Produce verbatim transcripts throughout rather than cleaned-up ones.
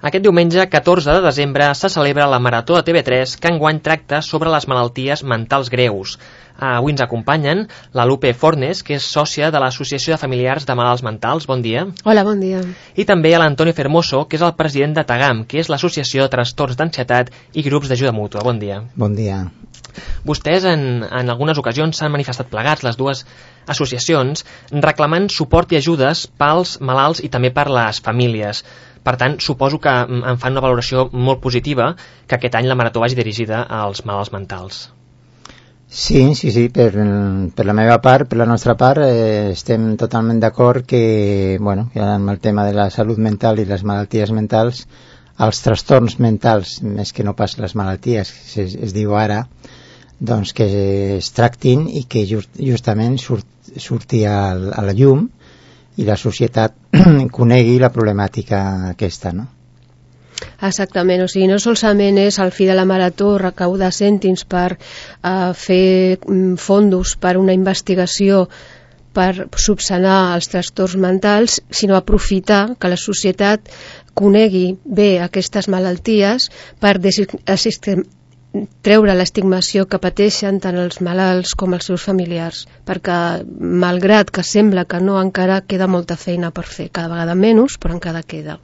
Aquest diumenge, catorze de desembre, se celebra la Marató de T V tres que enguany tracta sobre les malalties mentals greus. Avui ens acompanyen la Lupe Fornes, que és sòcia de l'Associació de Familiars de Malalts Mentals. Bon dia. Hola, bon dia. I també a l'Antonio Fermoso, que és el president de TAGAM, que és l'Associació de Trastorns d'Ansietat i Grups d'Ajuda Mútua. Bon dia. Bon dia. Vostès en, en algunes ocasions s'han manifestat plegats, les dues associacions, reclamant suport i ajudes pels malalts i també per les famílies. Per tant, suposo que en fan una valoració molt positiva que aquest any la Marató vagi dirigida als malalts mentals. Sí, sí, sí, per, per la meva part, per la nostra part, eh, estem totalment d'acord que, bueno, que amb el tema de la salut mental i les malalties mentals, els trastorns mentals, més que no pas les malalties, que es, es diu ara, doncs que es tractin i que just, justament surt, surti a, a la llum i la societat conegui la problemàtica aquesta, no? Exactament, o sigui, no solament és al fi de la marató recaudar cèntims per uh, fer um, fondos per una investigació per subsanar els trastorns mentals, sinó aprofitar que la societat conegui bé aquestes malalties per desistir, treure l'estigmació que pateixen tant els malalts com els seus familiars, perquè malgrat que sembla que no, encara queda molta feina per fer, cada vegada menys, però encara queda.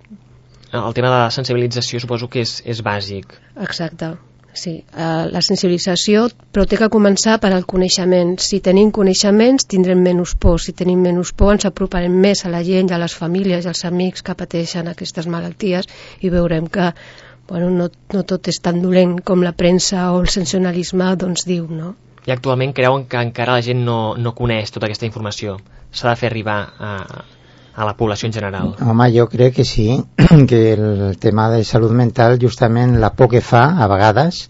El tema de la sensibilització suposo que és, és bàsic. Exacte, sí. Uh, la sensibilització, però té que començar per al coneixement. Si tenim coneixements tindrem menys por, si tenim menys por ens aproparem més a la gent, a les famílies i als amics que pateixen aquestes malalties i veurem que bueno, no, no tot és tan dolent com la premsa o el sensacionalisme doncs diu, no? I actualment creuen que encara la gent no, no coneix tota aquesta informació. S'ha de fer arribar a, a la població en general. Home, jo crec que sí, que el tema de salut mental, justament la por que fa, a vegades,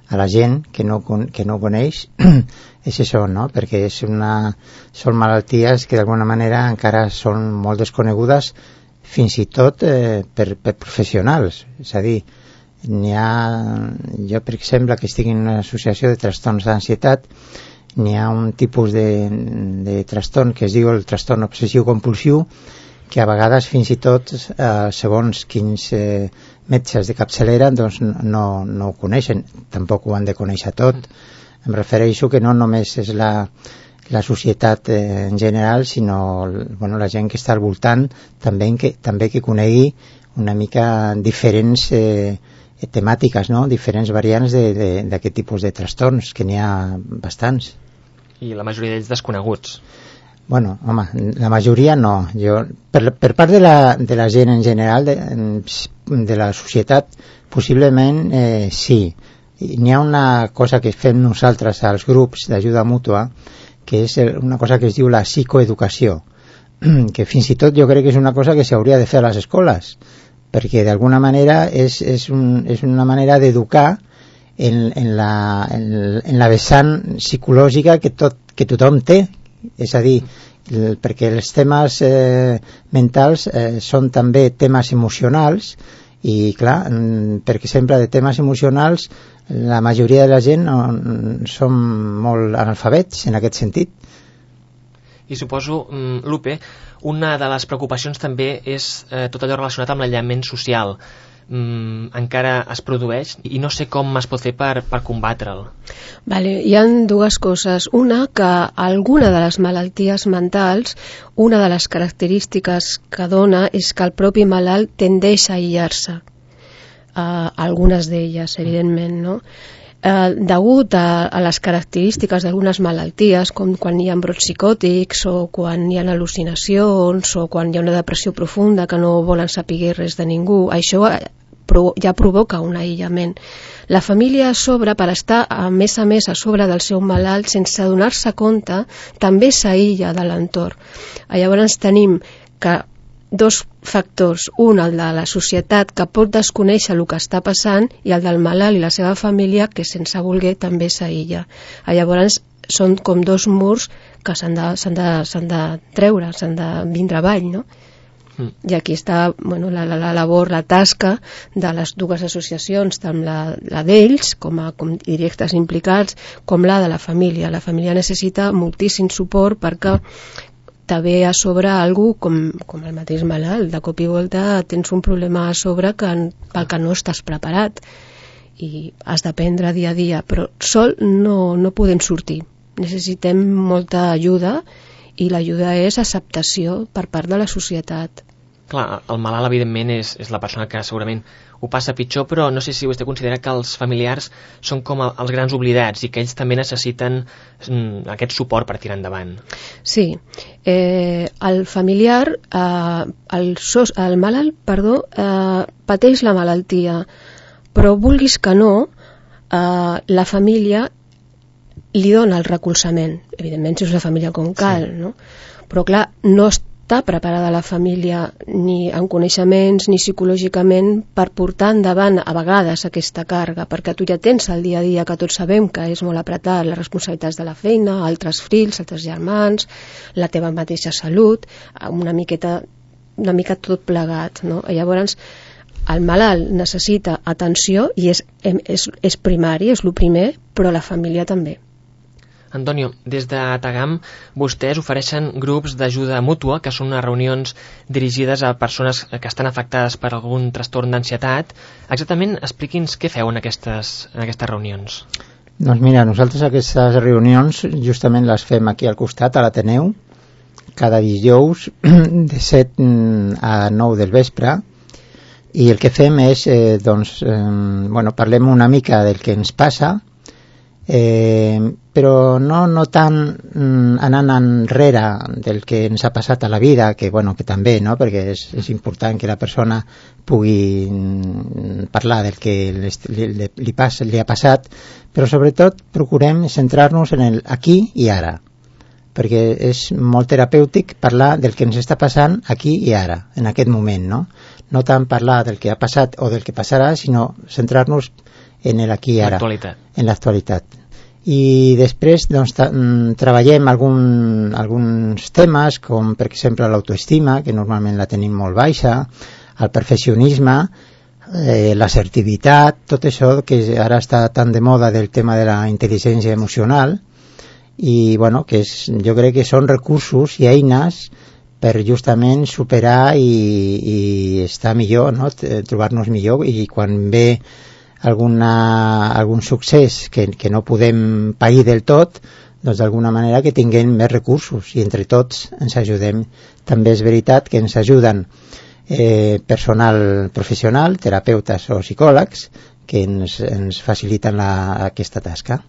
a la gent que no, que no coneix, és això, no? Perquè és una, són malalties que d'alguna manera encara són molt desconegudes, fins i tot eh, per, per professionals. És a dir, n'hi ha, jo per exemple que estic en una associació de trastorns d'ansietat, n'hi ha un tipus de, de trastorn que es diu el trastorn obsessiu compulsiu, que a vegades fins i tot eh, segons quins eh, metges de capçalera doncs no, no ho coneixen, tampoc ho han de conèixer tot. Em refereixo que no només és la, la societat eh, en general, sinó bueno, la gent que està al voltant també que, també que conegui una mica diferents eh, temàtiques, no? Diferents variants d'aquest tipus de trastorns, que n'hi ha bastants. I la majoria d'ells desconeguts. Bueno, home, la majoria no. Jo, per, per part de la, de la gent en general, de, de la societat, possiblement eh, sí. N'hi ha una cosa que fem nosaltres als grups d'ajuda mútua, que és una cosa que es diu la psicoeducació, que fins i tot jo crec que és una cosa que s'hauria de fer a les escoles, perquè d'alguna manera és, és, un, és una manera d'educar en, en, la, en, en la vessant psicològica que, tot, que tothom té. És a dir, el, perquè els temes eh, mentals eh, són també temes emocionals i clar, perquè sempre de temes emocionals la majoria de la gent no, som molt analfabets en aquest sentit. I suposo, Lupe, una de les preocupacions també és eh, tot allò relacionat amb l'aïllament social. Mm, encara es produeix i no sé com es pot fer per, per combatre'l. Vale, hi ha dues coses. Una, que alguna de les malalties mentals, una de les característiques que dona és que el propi malalt tendeix a aïllar-se. Uh, algunes d'elles, evidentment, no? Eh, degut a, a les característiques d'algunes malalties, com quan hi ha brots psicòtics o quan hi ha al·lucinacions o quan hi ha una depressió profunda que no volen saber res de ningú, això ja provoca un aïllament. La família a sobre, per estar a més a més a sobre del seu malalt sense adonar-se compte, també s'aïlla de l'entorn. Llavors tenim que dos factors, un el de la societat que pot desconèixer el que està passant i el del malalt i la seva família que sense voler també s'aïlla. Llavors són com dos murs que s'han de, s'han de, s'han de treure, s'han de vindre avall, no? Mm. I aquí està bueno, la, la, la labor, la tasca de les dues associacions, tant la, la d'ells com a com directes implicats com la de la família. La família necessita moltíssim suport perquè te ve a sobre algú com, com el mateix malalt. De cop i volta tens un problema a sobre que, pel que no estàs preparat i has d'aprendre dia a dia, però sol no, no podem sortir. Necessitem molta ajuda i l'ajuda és acceptació per part de la societat. Clar, el malalt evidentment és, és la persona que segurament ho passa pitjor, però no sé si vostè considera que els familiars són com els grans oblidats i que ells també necessiten mm, aquest suport per tirar endavant. Sí, eh, el familiar, eh, el, sos, el malalt, perdó, eh, pateix la malaltia, però vulguis que no, eh, la família li dona el recolzament, evidentment si és una família com cal, sí. no? Però clar, no està preparada la família ni en coneixements ni psicològicament per portar endavant a vegades aquesta càrrega, perquè tu ja tens el dia a dia que tots sabem que és molt apretat, les responsabilitats de la feina, altres fills, altres germans, la teva mateixa salut, una miqueta, una mica tot plegat, no? I llavors el malalt necessita atenció i és, és, és primari, és el primer, però la família també. Antonio, des de Tagam vostès ofereixen grups d'ajuda mútua, que són unes reunions dirigides a persones que estan afectades per algun trastorn d'ansietat. Exactament, expliqui'ns què feu en aquestes, en aquestes reunions. Doncs mira, nosaltres aquestes reunions justament les fem aquí al costat, a l'Ateneu, cada dijous de set a nou del vespre, i el que fem és, eh, doncs, eh, bueno, parlem una mica del que ens passa, Eh, però no, no tant mm, anant enrere del que ens ha passat a la vida, que, bueno, que també, no? Perquè és, és important que la persona pugui mm, parlar del que li, li, li, passa, li ha passat, però sobretot procurem centrar-nos en el aquí i ara, perquè és molt terapèutic parlar del que ens està passant aquí i ara, en aquest moment, no? No tant parlar del que ha passat o del que passarà, sinó centrar-nos en el aquí i ara, en l'actualitat. I després doncs, tra treballem algun, alguns temes, com per exemple l'autoestima, que normalment la tenim molt baixa, el perfeccionisme, eh, l'assertivitat, tot això que ara està tan de moda del tema de la intel·ligència emocional, i bueno, que és, jo crec que són recursos i eines per justament superar i, i estar millor, no? Trobar-nos millor, i quan ve alguna, algun succés que, que no podem pair del tot, doncs d'alguna manera que tinguem més recursos i entre tots ens ajudem. També és veritat que ens ajuden eh, personal professional, terapeutes o psicòlegs que ens, ens faciliten la, aquesta tasca.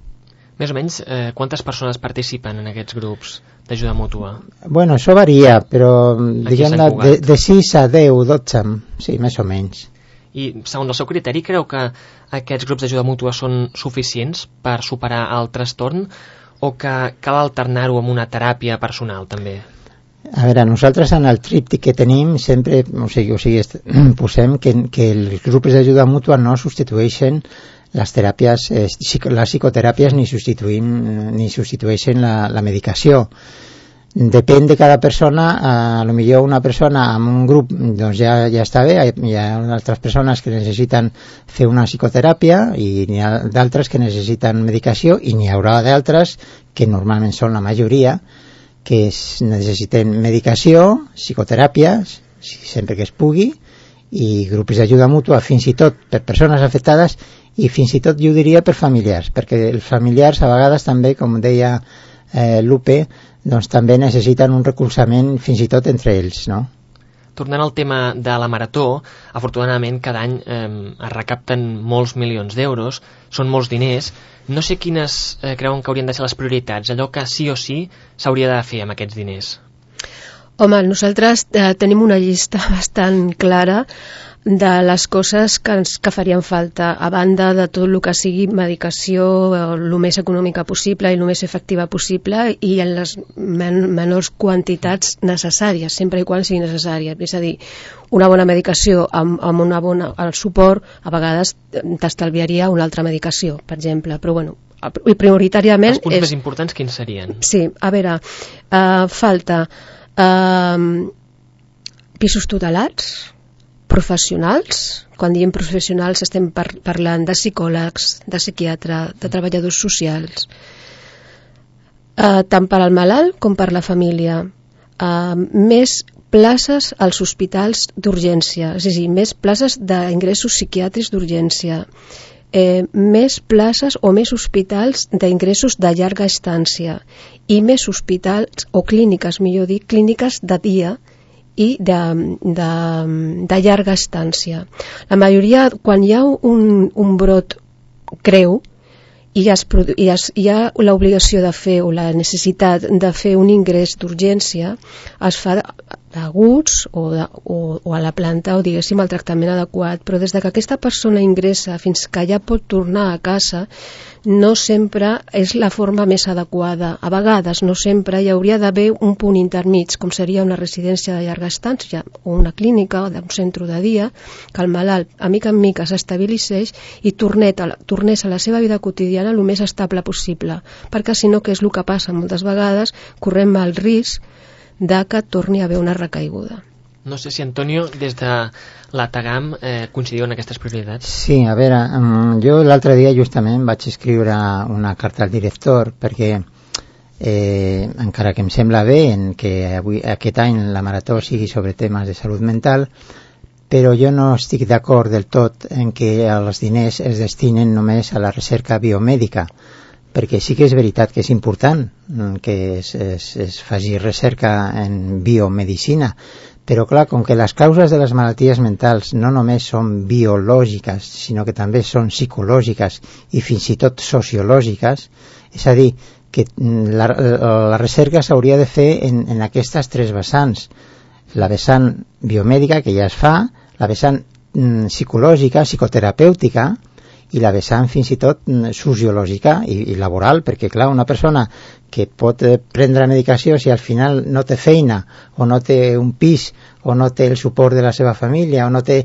Més o menys, eh, quantes persones participen en aquests grups d'ajuda mútua? Bueno, això varia, però diguem de, de sis a deu, dotze, sí, més o menys. I, segons el seu criteri, creu que aquests grups d'ajuda mútua són suficients per superar el trastorn o que cal alternar-ho amb una teràpia personal, també? A veure, nosaltres en el tríptic que tenim sempre, o sigui, o sigui posem que, que els grups d'ajuda mútua no substitueixen les teràpies, eh, les psicoteràpies ni, ni substitueixen la, la medicació. Depèn de cada persona, a lo millor una persona amb un grup doncs ja, ja està bé, hi ha altres persones que necessiten fer una psicoteràpia i n'hi ha d'altres que necessiten medicació i n'hi haurà d'altres, que normalment són la majoria, que es, necessiten medicació, psicoteràpies, sempre que es pugui, i grups d'ajuda mútua fins i tot per persones afectades i fins i tot jo diria per familiars, perquè els familiars a vegades també, com deia eh, Lupe, doncs també necessiten un recolzament fins i tot entre ells, no? Tornant al tema de la marató, afortunadament cada any eh, es recapten molts milions d'euros, són molts diners. No sé quines eh, creuen que haurien de ser les prioritats, allò que sí o sí s'hauria de fer amb aquests diners. Home, nosaltres eh, tenim una llista bastant clara de les coses que, ens, que farien falta, a banda de tot el que sigui medicació el més econòmica possible i el més efectiva possible i en les men menors quantitats necessàries, sempre i quan sigui necessària. És a dir, una bona medicació amb, amb una bona, el suport a vegades t'estalviaria una altra medicació, per exemple, però bueno, i prioritàriament... Els punts és... més importants quins serien? Sí, a veure, uh, falta uh, pisos tutelats, professionals. Quan diem professionals estem par parlant de psicòlegs, de psiquiatre, de treballadors socials, eh, tant per al malalt com per la família. uh, més places als hospitals d'urgència, és a dir, més places d'ingressos psiquiàtrics d'urgència, eh, més places o més hospitals d'ingressos de llarga estància i més hospitals o clíniques, millor dir, clíniques de dia i de, de, de llarga estància. La majoria, quan hi ha un, un brot greu, i es, i es, hi ha l'obligació de fer o la necessitat de fer un ingrés d'urgència, es fa d'aguts o, de, o, o a la planta o diguéssim el tractament adequat, però des de que aquesta persona ingressa fins que ja pot tornar a casa no sempre és la forma més adequada. A vegades, no sempre, hi hauria d'haver un punt intermig, com seria una residència de llarga estància o una clínica o un centre de dia, que el malalt a mica en mica s'estabilitzés i tornet a la, tornés a la seva vida quotidiana el més estable possible, perquè si no, que és el que passa moltes vegades, correm el risc de que torni a haver una recaiguda. No sé si, Antonio, des de la Tagam eh, coincidiu en aquestes prioritats. Sí, a veure, jo l'altre dia justament vaig escriure una carta al director perquè eh, encara que em sembla bé en que avui, aquest any la marató sigui sobre temes de salut mental, però jo no estic d'acord del tot en que els diners es destinen només a la recerca biomèdica, perquè sí que és veritat que és important que es, es, es faci recerca en biomedicina, però clar, com que les causes de les malalties mentals no només són biològiques, sinó que també són psicològiques i fins i tot sociològiques, és a dir, que la, la recerca s'hauria de fer en, en aquestes tres vessants. La vessant biomèdica, que ja es fa, la vessant mm, psicològica, psicoterapèutica, i la vessant fins i tot sociològica i, i laboral, perquè clar, una persona que pot prendre medicació si al final no té feina o no té un pis o no té el suport de la seva família o no té,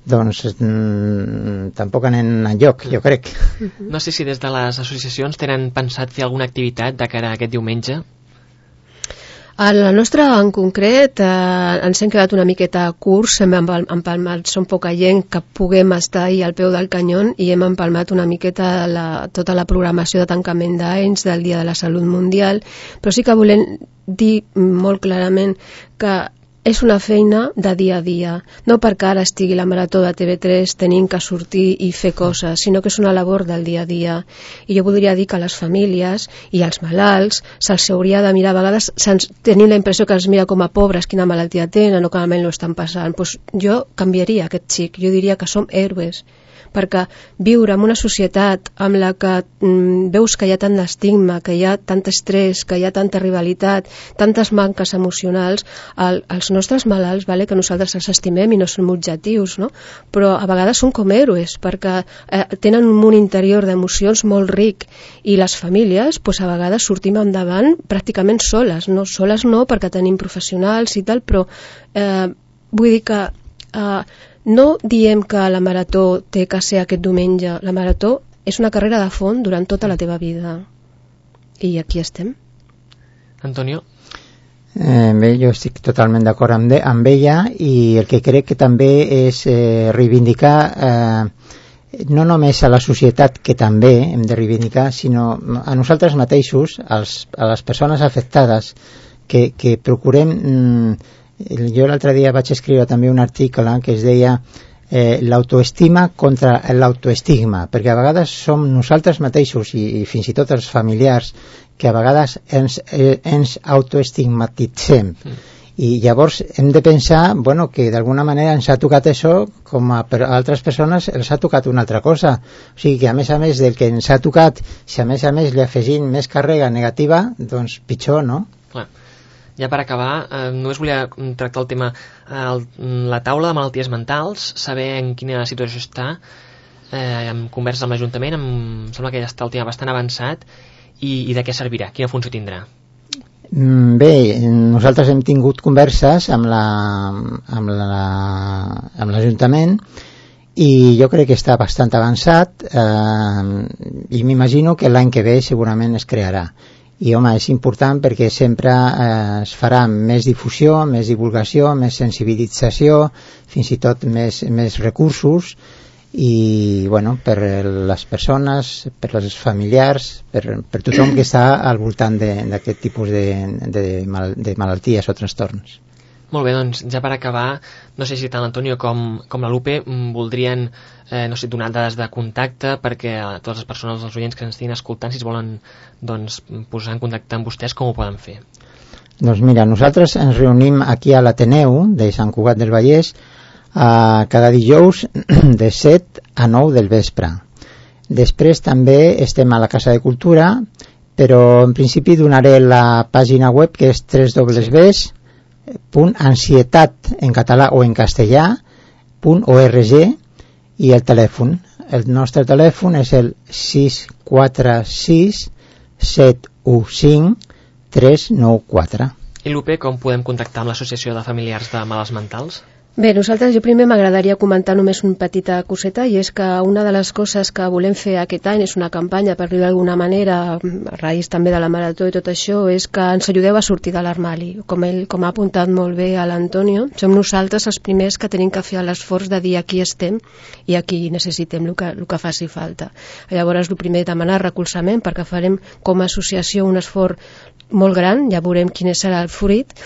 doncs mmm, tampoc anem enlloc, jo crec. No sé si des de les associacions tenen pensat fer alguna activitat de cara a aquest diumenge? A la nostra, en concret, eh, ens hem quedat una miqueta curts, hem empalmat, som poca gent que puguem estar ahí al peu del canyón i hem empalmat una miqueta la, tota la programació de tancament d'anys del Dia de la Salut Mundial, però sí que volem dir molt clarament que és una feina de dia a dia, no perquè ara estigui la marató de T V tres tenim que sortir i fer coses, sinó que és una labor del dia a dia. I jo voldria dir que les famílies i els malalts se'ls hauria de mirar, a vegades tenim la impressió que els mira com a pobres, quina malaltia tenen o que malament ho estan passant. Pues jo canviaria aquest xic, jo diria que som héroes, perquè viure en una societat amb la que mm, veus que hi ha tant d'estigma, que hi ha tant estrès, que hi ha tanta rivalitat, tantes manques emocionals, el, els nostres malalts, vale, que nosaltres els estimem i no som objectius, no? Però a vegades són com héroes, perquè eh, tenen un món interior d'emocions molt ric, i les famílies, pues, a vegades sortim endavant pràcticament soles, no soles no, perquè tenim professionals i tal, però eh, vull dir que eh, no diem que la marató té que ser aquest diumenge. La marató és una carrera de fons durant tota la teva vida. I aquí estem. Antonio? Eh, bé, jo estic totalment d'acord amb, de, amb ella i el que crec que també és eh, reivindicar eh, no només a la societat, que també hem de reivindicar, sinó a nosaltres mateixos, als, a les persones afectades, que, que procurem... Mm, jo l'altre dia vaig escriure també un article que es deia eh, l'autoestima contra l'autoestigma, perquè a vegades som nosaltres mateixos i, i fins i tot els familiars que a vegades ens, eh, ens autoestigmatitzem mm. i llavors hem de pensar bueno, que d'alguna manera ens ha tocat això com a, a altres persones els ha tocat una altra cosa, o sigui que a més a més del que ens ha tocat, si a més a més li afegim més càrrega negativa, doncs pitjor, no? Clar. Ja per acabar, eh, només volia tractar el tema eh, la taula de malalties mentals, saber en quina situació està, eh, amb converses amb l'Ajuntament, amb, em sembla que ja està el tema bastant avançat, i, i de què servirà, quina funció tindrà? Bé, nosaltres hem tingut converses amb la, amb la, amb l'Ajuntament i jo crec que està bastant avançat eh, i m'imagino que l'any que ve segurament es crearà. I home, és important perquè sempre eh, es farà més difusió, més divulgació, més sensibilització, fins i tot més, més recursos i bueno, per les persones, per les familiars, per, per tothom que està al voltant d'aquest tipus de, de, mal, de malalties o trastorns. Molt bé, doncs ja per acabar, no sé si tant l'Antonio com, com la Lupe voldrien eh, no sé, donar dades de contacte perquè a totes les persones, els oients que ens estiguin escoltant, si es volen doncs, posar en contacte amb vostès, com ho poden fer? Doncs mira, nosaltres ens reunim aquí a l'Ateneu de Sant Cugat del Vallès Uh, cada dijous de set a nou del vespre. Després també estem a la Casa de Cultura, però en principi donaré la pàgina web que és w w w punt ansietat en català o en castellà punt org i el telèfon. El nostre telèfon és el sis quatre sis set u cinc tres nou quatre. I Lupe, com podem contactar amb l'Associació de Familiars de Malalts Mentals? Bé, nosaltres jo primer m'agradaria comentar només una petita coseta, i és que una de les coses que volem fer aquest any és una campanya per dir d'alguna manera, a raïs també de la marató i tot això, és que ens ajudeu a sortir de l'armari. Com ell com ha apuntat molt bé a l'Antonio, som nosaltres els primers que tenim que fer l'esforç de dir aquí estem i aquí necessitem el que, el que faci falta. Llavors, el primer, demanar recolzament, perquè farem com a associació un esforç molt gran, ja veurem quin serà el fruit,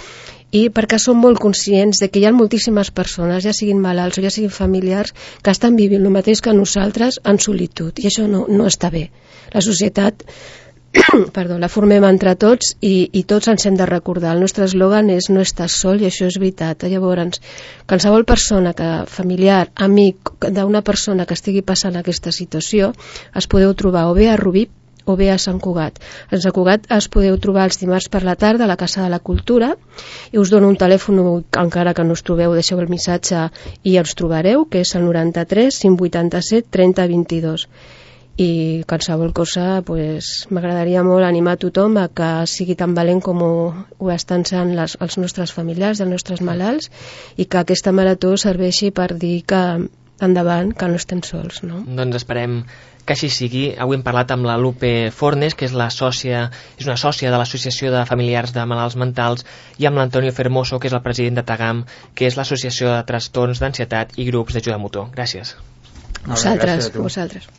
i perquè som molt conscients de que hi ha moltíssimes persones, ja siguin malalts o ja siguin familiars, que estan vivint el mateix que nosaltres en solitud, i això no, no està bé. La societat perdó, la formem entre tots i, i tots ens hem de recordar. El nostre eslògan és no estàs sol, i això és veritat. Llavors, qualsevol persona, que, familiar, amic d'una persona que estigui passant aquesta situació, es podeu trobar o bé a Rubí o bé a Sant Cugat. A Sant Cugat es podeu trobar els dimarts per la tarda a la Casa de la Cultura, i us dono un telèfon, encara que no us trobeu, deixeu el missatge i els trobareu, que és el noranta-tres cinc vuitanta-set trenta vint-i-dos. I qualsevol cosa, pues, m'agradaria molt animar a tothom a que sigui tan valent com ho, ho estan sent les, els nostres familiars, els nostres malalts, i que aquesta marató serveixi per dir que endavant, que no estem sols, no? Doncs esperem que així sigui. Avui hem parlat amb la Lupe Fornes, que és la sòcia, és una sòcia de l'Associació de Familiars de Malalts Mentals, i amb l'Antonio Fermoso, que és el president de Tagam, que és l'Associació de Trastorns d'Ansietat i Grups d'Ajuda Mutua. Gràcies. Vosaltres, vosaltres.